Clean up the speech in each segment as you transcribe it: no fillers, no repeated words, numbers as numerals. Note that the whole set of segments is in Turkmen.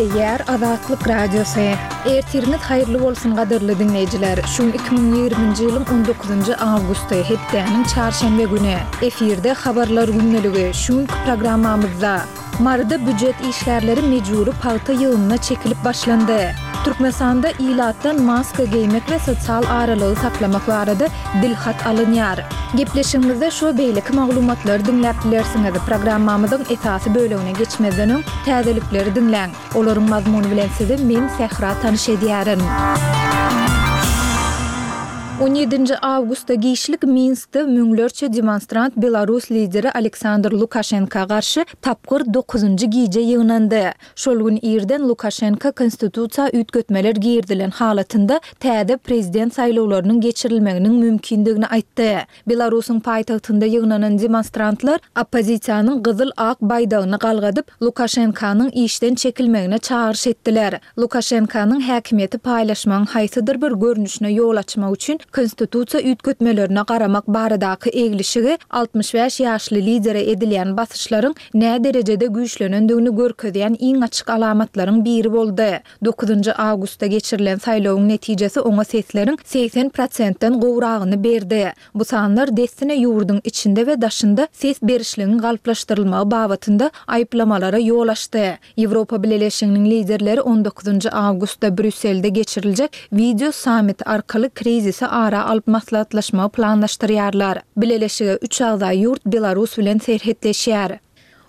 Gepleýär Azatlyk Radiosy. Ertiriňiz haýyrly bolsun gadyrly diňleýjiler. Şu gün 2020-nji ýylyň 19-njy awgusty, hepdäniň çarşenbe güni. Efirde Habarlar gündeligi. Şu günki programmamyzda. Maryda býujet işgärleri mejbury pagta ýygymyna çekilip başlandy. Türkmenistanda ilatdan maska geýmek we sosial aralygy saklamak barada dilhat alynýar. Gepleşigimizde şu we beýleki maglumatlary diňläp bilersiňiz. Programmamyzyň esasy bölegine geçmezden öň, täzelikleri diňläň. Olaryň mazmuny bilen sizi men, Sähra tanyş edýärin. On ýedinji awgustda giçlik Minskde müňlerçe demonstrant belarus lideri Aleksandr Lukaşenka garşy tapgyr dokuzynjy gije ýygnandy. Şol gün irden Lukaşenka konstitusiýa üýtgetmeler girizilen halatynda täze prezident saýlawlarynyň geçirilmeginiň mümkindigini aýtdy. Belarusyň paýtagtynda ýygnanan demonstrantlar oppozisiýanyň gyzyl-ak baýdagyny galgadyp, Lukaşenkanyň işden çekilmegine çagyryş etdiler. Lukaşenkanyň häkimiýeti paýlaşmagyň haýsydyr bir görnüşine ýol açmak üçin konstitusiýa üýtgetmelerine garamak baradaky eglişigi 65 ýaşly lidere edilýän basyşlaryň näderejede güýçlenendigini görkezýän iň açyk alamatlaryň biri boldy. Dokuzynjy awgustda geçirilen saýlawyň netijesi oňa sesleriň 80 prosentden gowragyny berdi. Bu sanlar dessine ýurduň içinde we daşynda ses berişligiň galplaşdyrylmagy babatynda aýyplamalara ýol açdy. Ýewropa Bileleşiginiň liderleri on dokuzynjy awgustda Brýusselde geçiriljek wideo sammit arkaly krizisi ara alyp maslahatlaşmagy planlaşdyrýarlar. Bileleşige üç agza ýurt Belarus bilen serhetleşýär.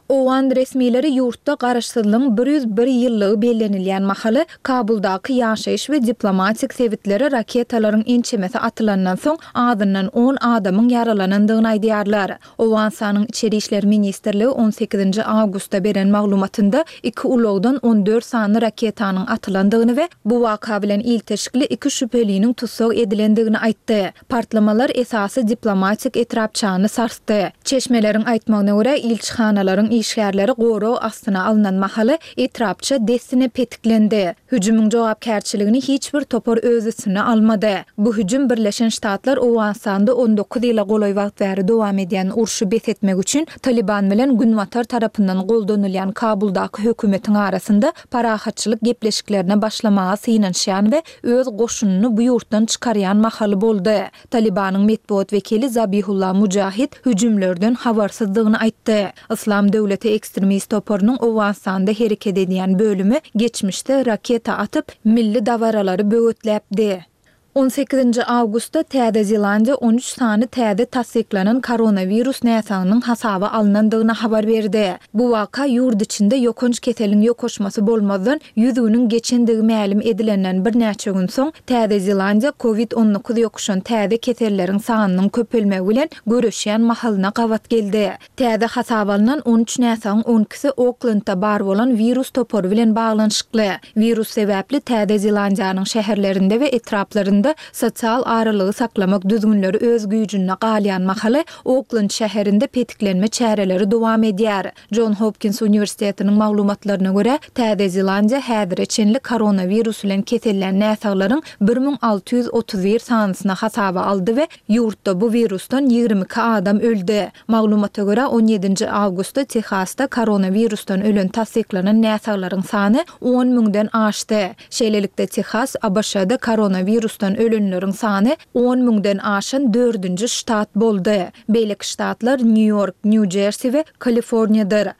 Owgan resmileri ýurtda garaşsyzlygyň 101 ýyllygy bellenilýän mahaly Kabuldaky ýaşaýyş we diplomatik sebitlere raketalaryň ençemesi atylandan soň azyndan on adamyň ýaralanandygyny aýdýarlar. Owganystanyň Içeri işler ministrligi on sekizinji awgustda beren maglumatynda iki ulagdan on dört sany raketanyň atylandygyny we bu waka bilen ilteşikli iki şübheliniň tussag edilendigini aýtdy. Partlamalar esasy diplomatik etrapçany sarsdy. Çeşmeleriň aýtmagyna görä, ilçihanalaryň işgärleri gorag astyna alnan mahaly etrapça dessine petiklendi. Hüjümiň jogapkärçiligini hiç bir topar öz üstüne almady. Bu hüjüm Birleşen Ştatlar Owganystanda on dokuz ýyla golaý wagt bäri dowam edýän urşy bes etmek üçin Talyban bilen Günbatar tarapyndan goldanylýan Kabuldaky hökümetiň arasynda parahatçylyk gepleşiklerine başlamaga synanyşýan we öz goşunyny bu ýurtdan çykarýan mahaly boldy. Talybanyň metbugat wekili Zabihullah Mujahid hüjümlerden habarsyzdygyny aýtdy. Yslam döwleti ekstremist toparynyň Owganystanda hereket edýän bölümi geçmişde raketa atyp, milli dabaralary böwetläpdi. On sekizinji awgustda Täze Zelandiýa on üç sany täze tassyklanan koronawirus näsagynyň hasaba alnandygyny habar berdi. Bu waka ýurt içinde ýokanç keseliň ýokaşmasy bolmazdan ýüz günüň geçendigi mälim edilenden birnäçe gün soň, Täze Zelandiýa Covid on dokuz ýokuşan täze keselleriň sanynyň köpelmegi bilen göreşýän mahalyna gabat geldi. Täze hasaba alnan on üç näsagyň on ikisi Oklendde bar bolan wirus topary bilen baglanyşykly. Wirus sebäpli Täze Zelandiýanyň şäherlerinde we etraplarynda sosial aralygy saklamak düzgünleri öz güýjünde galýan mahaly, Oklend şäherinde petiklenme çäreleri dowam edýär. Jon Hopkins uniwersitetiniň maglumatlaryna görä, Täze Zelandiýa häzire çenli koronawirus bilen kesellän näsaglaryň 1631 sanysyny hasaba aldy we ýurtda bu wirusdan 22 adam öldi. Maglumata görä, on ýedinji awgustda Tehasda koronawirusdan ölen tassyklanan näsaglaryň sany on müňden aşdy. Şeýlelikde, Tehas ABŞ-da koronawirusdan ölenleriň sany on müňden aşan dördünji ştat boldy. Beýleki ştatlar Nýu-Ýork, Nýu-Jersi we Kaliforniýadyr.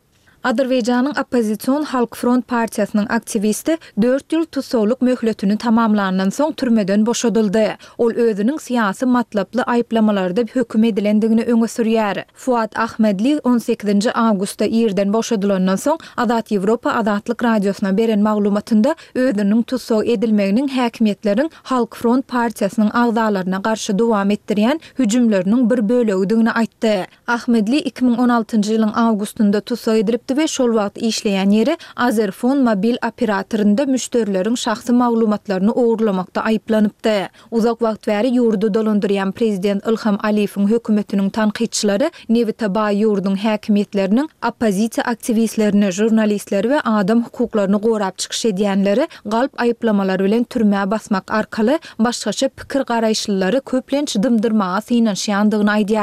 Azerbaýjanyň oppozision Halk Front partiýasynyň aktiwisti dört ýyl tussaglyk möhletini tamamlandan soň türmeden boşadyldy. Ol özüniň syýasy matlaply aýyplamalarda höküm edilendigini öňe sürýär. Fuad Ahmedli on sekizinji awgustda irden boşadylandan soň Azat Ýewropa Azatlyk Radiosyna beren maglumatynda özüniň tussag edilmeginiň häkimiýetleriň Halk Front partiýasynyň agzalaryna garşy dowam etdirýän hüjümleriniň bir bölegidigini aýtdy. Ahmedli 2016-njy ýylyň awgustynda tussag edilipdi we şol wagt işleýän ýeri Azerfon mobil operatorynda müşderileriň şahsy maglumatlaryny ogurlamakda aýyplanypdy. Uzak wagt bäri ýurdy dolandyrýan prezident Ilham Aliýewiň hökümetiniň tankytçylary nebite baý ýurduň häkimiýetleriniň oppozisiýa aktiwistlerini, žurnalistleri we adam hukuklaryny gorap çykyş edýänleri galp aýyplamalar bilen türmä basmak arkaly başgaça pikir-garaýyşlylary köplenç dymdyrmaga synanyşýandygyny aýdýarlar.